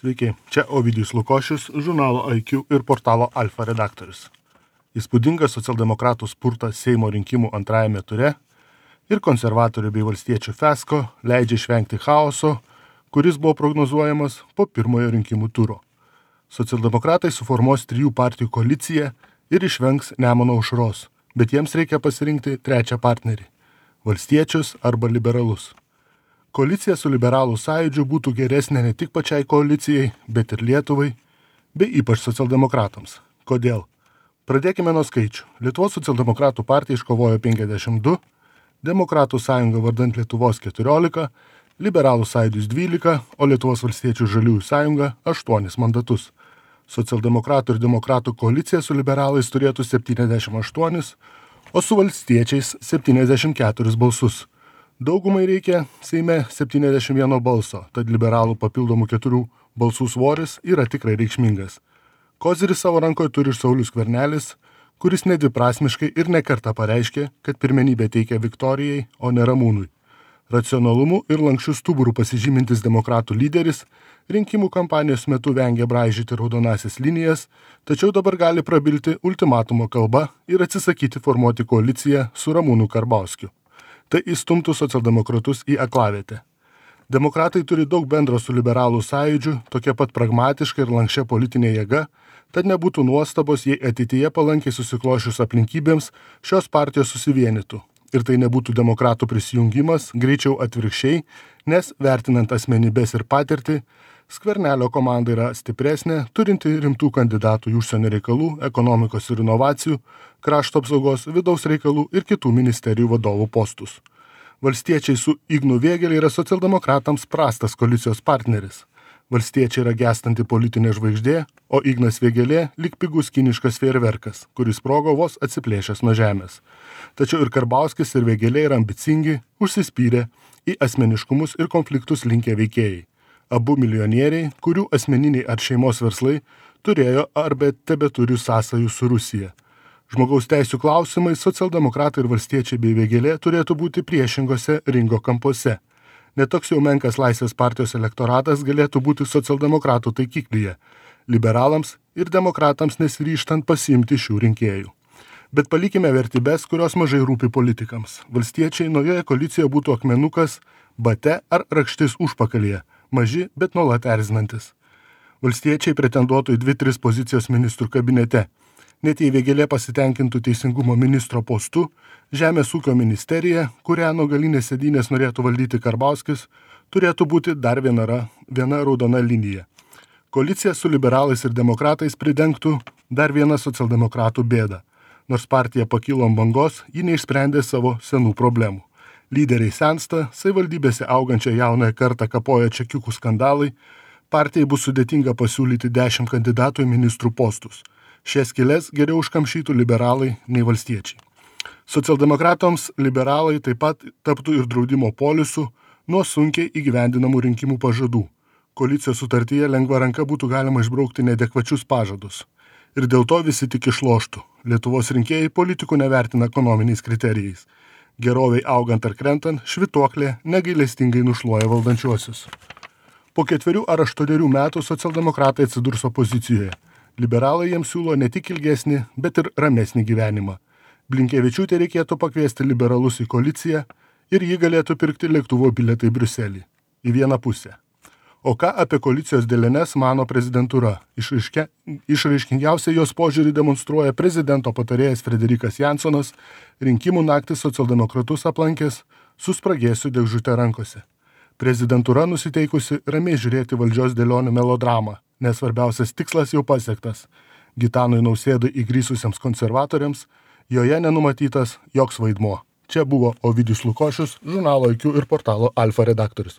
Sveiki, čia Ovidijus Lukošius, žurnalo IQ ir portalo Alfa redaktorius. Įspūdingas socialdemokratų spurtas Seimo rinkimų antrajame ture ir konservatorių bei valstiečių fiasko leidžia išvengti chaoso, kuris buvo prognozuojamas po pirmojo rinkimų turo. Socialdemokratai suformuos 3 partijų koaliciją ir išvengs Nemuno aušros, bet jiems reikia pasirinkti trečią partnerį – valstiečius arba liberalus. Koalicija su liberalų sąjūdžiu būtų geresnė ne tik pačiai koalicijai, bet ir Lietuvai, bei ypač socialdemokratams. Kodėl? Pradėkime nuo skaičių. Lietuvos socialdemokratų partija iškovojo 52, Demokratų sąjunga vardant Lietuvos 14, Liberalų sąjūdis 12, o Lietuvos valstiečių žaliųjų sąjunga 8 mandatus. Socialdemokratų ir demokratų koalicija su liberalais turėtų 78, o su valstiečiais 74 balsus. Daugumai reikia Seime 71 balso, tad liberalų papildomų 4 balsų svoris yra tikrai reikšmingas. Kozirį savo rankoje turi ir Saulius Skvernelis, kuris nedviprasmiškai ir nekartą pareiškė, kad pirmenybę teikia Viktorijai, o ne Ramūnui. Racionalumu ir lankščiu stuburu pasižymintis demokratų lyderis rinkimų kampanijos metu vengia braižyti raudonasis linijas, tačiau dabar gali prabilti ultimatumo kalba ir atsisakyti formuoti koaliciją su Ramūnu Karbauskiu. Tai įstumtų socialdemokratus į aklavietę. Demokratai turi daug bendro su liberalų sąjūdžiu, tokia pat pragmatiška ir lankščia politinė jėga, tad nebūtų nuostabos, jei ateityje palankiai susiklošius aplinkybėms šios partijos susivienytų. Ir tai nebūtų demokratų prisijungimas, greičiau atvirkščiai, nes vertinant asmenybės ir patirtį, Skvernelio komanda yra stipresnė, turinti rimtų kandidatų į užsienio reikalų, ekonomikos ir inovacijų, krašto apsaugos, vidaus reikalų ir kitų ministerijų vadovų postus. Valstiečiai su Ignu Vėgėle yra socialdemokratams prastas koalicijos partneris. Valstiečiai yra gęstanti politinė žvaigždė, o Ignas Vėgėlė lyg pigus kiniškas fejerverkas, kuris sprogo vos atsiplėšęs nuo žemės. Tačiau ir Karbauskis ir Vėgėlė yra ambicingi, užsispyrę į asmeniškumus ir konfliktus linkę veikėjai. Abu milijonieriai, kurių asmeniniai ar šeimos verslai turėjo arba tebeturi sąsajų su Rusija. Žmogaus teisių klausimai socialdemokratai ir valstiečiai bei Vėgėlė turėtų būti priešingose ringo kampuose. Netoks jau menkas Laisvės partijos elektoratas galėtų būti socialdemokratų taikiklyje, liberalams ir demokratams nesiryžtant pasiimti šių rinkėjų. Bet palikime vertybės, kurios mažai rūpi politikams. Valstiečiai naujoje koalicijoje būtų akmenukas, bate ar rakštis užpakalyje, maži, bet nuolat erzinantis. Valstiečiai pretenduotų į 2-3 pozicijas ministrų kabinete. Net jei Vėgėlė pasitenkintų teisingumo ministro postu, Žemės ūkio ministerija, kurią nuo galinės sėdynės norėtų valdyti Karbauskis, turėtų būti dar viena raudona linija. Koalicija su liberalais ir demokratais pridengtų dar vieną socialdemokratų bėdą. Nors partija pakilo ant bangos, ji neišsprendė savo senų problemų. Lyderiai sensta, savivaldybėse augančią jaunąją kartą kapoja čekiukų skandalai, partijai bus sudėtinga pasiūlyti 10 kandidatų į ministrų postus. Šias skyles geriau užkamšytų liberalai nei valstiečiai. Socialdemokratams liberalai taip pat taptų ir draudimo polisu nuo sunkiai įgyvendinamų rinkimų pažadų. Koalicijos sutartyje lengva ranka būtų galima išbraukti neadekvačius pažadus. Ir dėl to visi tik išloštų. Lietuvos rinkėjai politikų nevertina ekonominiais kriterijais. Geroviai augant ar krentant, švytuoklė negailestingai nušluoja valdančiuosius. Po 4 ar 8 metų socialdemokratai atsidurs opozicijoje. Liberalai jiems siūlo ne tik ilgesnį, bet ir ramesnį gyvenimą. Blinkevičiūtė reikėtų pakviesti liberalus į koaliciją ir jį galėtų pirkti lėktuvo bilietą į Briuselį. Į vieną pusę. O ką apie koalicijos dėliones mano prezidentūra? Išraiškingiausiai jos požiūrį demonstruoja prezidento patarėjas Frederikas Jansonas, rinkimų naktį socialdemokratus aplankęs su spragėsiu dėžute rankose. Prezidentūra nusiteikusi ramiai žiūrėti valdžios dėlionių melodramą, nes svarbiausias tikslas jau pasiektas. Gitanui Nausėdai įgrįsusiems konservatoriams joje nenumatytas joks vaidmuo. Čia buvo Ovidijus Lukošius, žurnalo IQ ir portalo Alfa redaktorius.